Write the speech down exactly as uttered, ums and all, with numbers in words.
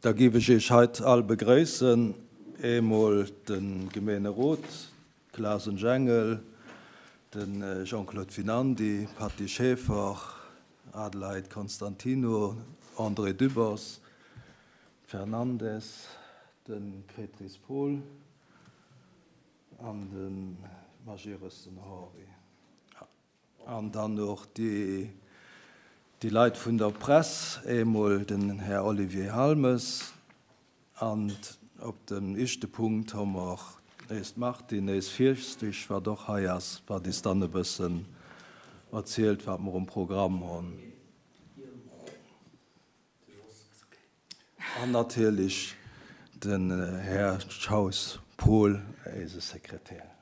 Da giff ech Iech heit all begréissen, eemol de Gemeenerot, Klasen Jengel, de Jean-Claude Winandy, Patty Schaeffer, Adelheid Constantino, André Dübbers, Fernandes, de Petris Paul an de Majerus den Henri. An dann och déi déi Leit vun der Press, eemol den Här Olivier Halmes, an op dem ischte Punkt hu mer eist Martine, eis Fierschtich, wat och hei ass, wat is dann e bëssen erzielt, wat mer um Programm hunn. An natierlech den Här Schaus Paul, eise Sekretär.